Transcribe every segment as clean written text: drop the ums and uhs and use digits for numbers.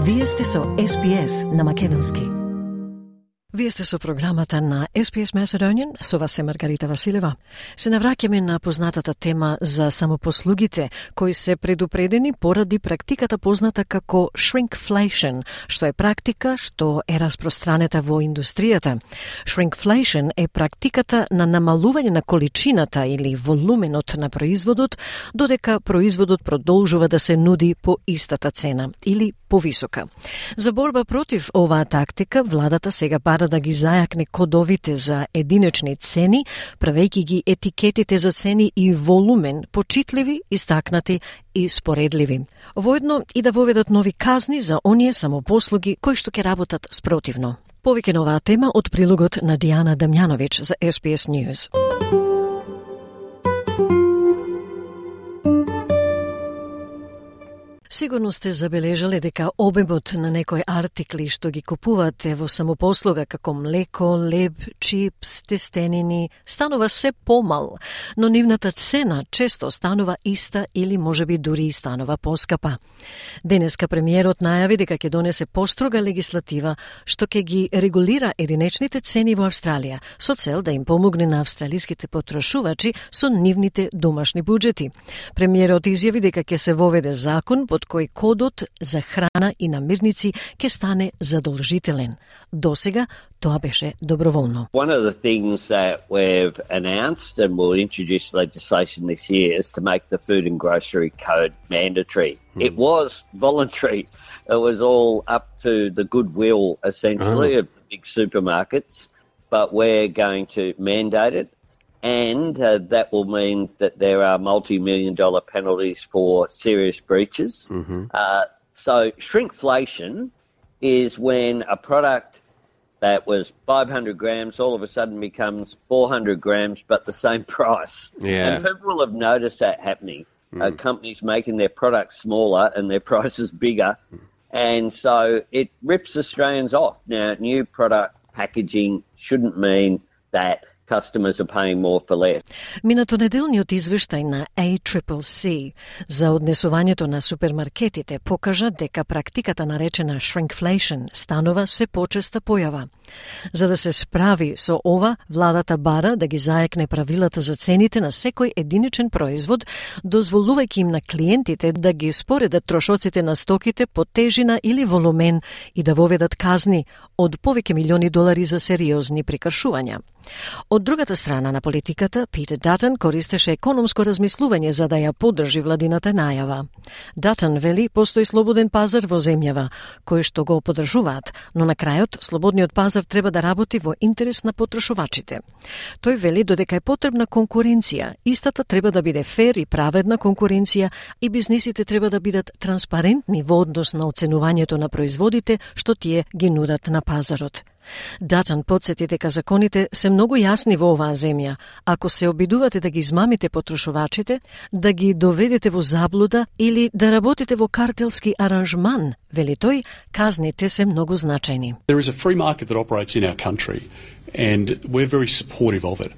Вие сте со SPS на македонски. Вие сте со програмата на SPS Macedonian, со вас е Маргарита Василева. Се навраќаме на познатата тема за самопослугите, кои се предупредени поради практиката позната како shrinkflation, што е практика што е распространета во индустријата. Shrinkflation е практиката на намалување на количината или волуменот на производот, додека производот продолжува да се нуди по истата цена или повисока. За борба против оваа тактика, владата сега бара да ги зајакне кодовите за единечни цени, правејќи ги етикетите за цени и волумен почитливи, истакнати и споредливи. Воедно и да воведат нови казни за оние самопослуги кои што ќе работат спротивно. Повеќе на оваа тема од прилогот на Дијана Дамјановиќ за SPS News. Сигурно сте забележале дека обемот на некои артикли што ги купувате во самопослуга како млеко, леб, чипс, тестенини, станува се помал, но нивната цена често станува иста или можеби дури и станува поскапа. Денеска премиерот најави дека ќе донесе построга легислатива што ќе ги регулира единечните цени во Австралија, со цел да им помогне на австралиските потрошувачи со нивните домашни буџети. Премиерот изјави дека ќе се воведе закон под кој кодот за храна и намирници ќе стане задолжителен. Досега тоа беше доброволно. One of the things that we've announced and will introduce legislation this year is to make the food and grocery code mandatory. It was voluntary. It was all up to the goodwill, essentially, of the big supermarkets, but we're going to mandate it. And that will mean that there are multi-million-dollar penalties for serious breaches. So shrinkflation is when a product that was 500 grams all of a sudden becomes 400 grams but the same price. Yeah. And people will have noticed that happening. Companies making their products smaller and their prices bigger. And so it rips Australians off. Now, new product packaging shouldn't mean that customers are paying more for less. Минатонеделниот извештај на ACCC за однесувањето на супермаркетите покажа дека практиката наречена shrinkflation станува се почеста појава. За да се справи со ова, владата бара да ги зајакне правилата за цените на секој единичен производ, дозволувајќи им на клиентите да ги споредат трошоците на стоките по тежина или волумен и да воведат казни од повеќе милиони долари за сериозни прекршувања. Од другата страна на политиката, Питер Датън користеше економско размислување за да ја поддржи владината најава. Датън вели постои слободен пазар во земјава, кој што го поддржуваат, но на крајот слободниот пазар треба да работи во интерес на потрошувачите. Тој вели додека е потребна конкуренција, истата треба да биде фер и праведна конкуренција и бизнисите треба да бидат транспарентни во однос на оценувањето на производите што тие ги нудат на пазарот. Датън подсети дека законите се многу јасни во оваа земја. Ако се обидувате да ги измамите потрошувачите, да ги доведете во заблуда или да работите во картелски аранжман, вели тој, казните се многу значајни. There is a free market that operates in our country and we're very supportive of it.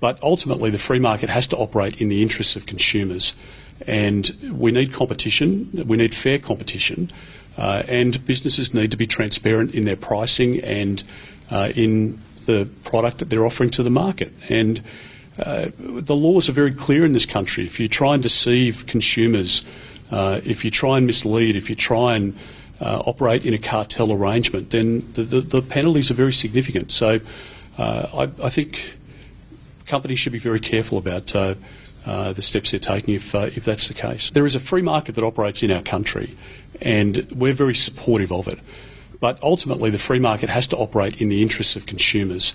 But ultimately the free market has to operate in the interests of consumers and we need competition, we need fair competition. And businesses need to be transparent in their pricing and in the product that they're offering to the market. And the laws are very clear in this country. If you try and deceive consumers, if you try and mislead, if you try and operate in a cartel arrangement, then the penalties are very significant. So I think companies should be very careful about the steps they're taking if that's the case. There is a free market that operates in our country and we're very supportive of it. But ultimately the free market has to operate in the interests of consumers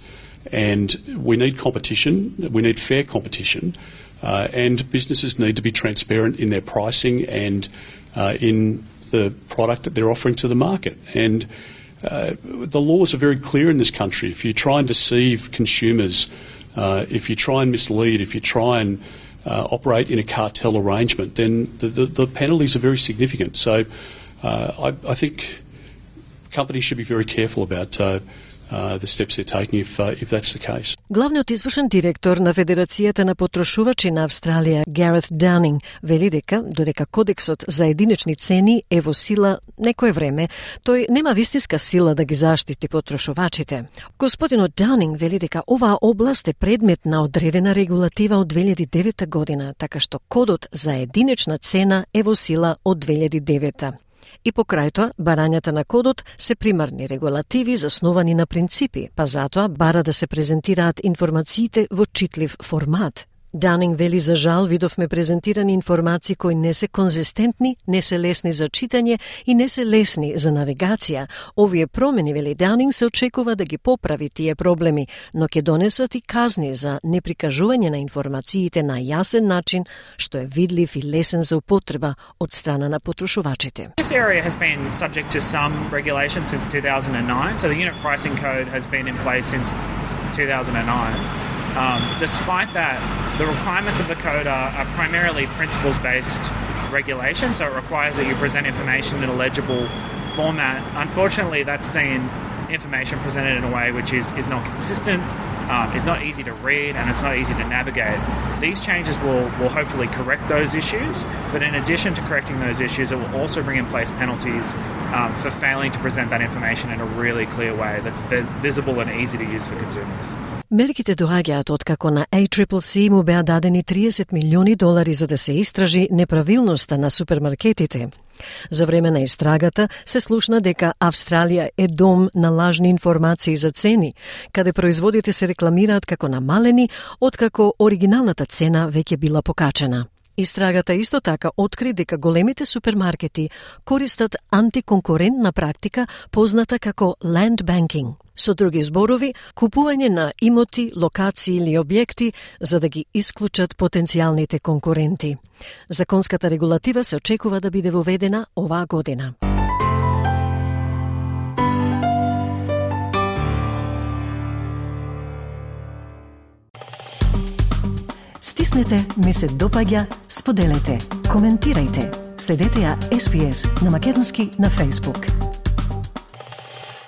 and we need competition, we need fair competition, and businesses need to be transparent in their pricing and in the product that they're offering to the market. And the laws are very clear in this country. If you try and deceive consumers, if you try and mislead, if you try and operate in a cartel arrangement, then the penalties are very significant. So I think companies should be very careful about the steps they're taking if that's the case. Главниот извршен директор на Федерацијата на потрошувачи на Австралија, Гарет Даунинг, вели дека додека кодексот за единични цени е во сила некое време, тој нема вистинска сила да ги заштити потрошувачите. Господинот Даунинг вели дека оваа област е предмет на одредена регулатива од 2009 година, така што кодот за единична цена е во сила од 2009. И покрај тоа, барањата на кодот се примарни регулативи засновани на принципи, па затоа бара да се презентираат информациите во читлив формат. Даунинг вели за жал видовме презентирани информации кои не се конзистентни, не се лесни за читање и не се лесни за навигација. Овие промени, вели Даунинг, се очекува да ги поправи тие проблеми, но ќе донесат и казни за неприкажување на информациите на јасен начин, што е видлив и лесен за употреба од страна на потрошувачите. This area has been subject to some regulation since 2009, so the unit pricing code has been in place since 2009. Despite that, the requirements of the code are primarily principles-based regulation, so it requires that you present information in a legible format. Unfortunately, that's seen information presented in a way which is not consistent, is not easy to read, and it's not easy to navigate. These changes will hopefully correct those issues, but in addition to correcting those issues, it will also bring in place penalties for failing to present that information in a really clear way that's visible and easy to use for consumers. Мерките доаѓаат откако на ACCC му беа дадени $30 милиони за да се истражи неправилноста на супермаркетите. За време на истрагата се слушна дека Австралија е дом на лажни информации за цени, каде производите се рекламираат како намалени, откако оригиналната цена веќе била покачена. Истрагата исто така откри дека големите супермаркети користат антиконкурентна практика позната како land banking. Со други зборови, купување на имоти, локации или објекти за да ги исклучат потенцијалните конкуренти. Законската регулатива се очекува да биде воведена оваа година. Стиснете, ми се допаѓа, споделете, коментирајте. Следете ја SPS на македонски на Facebook.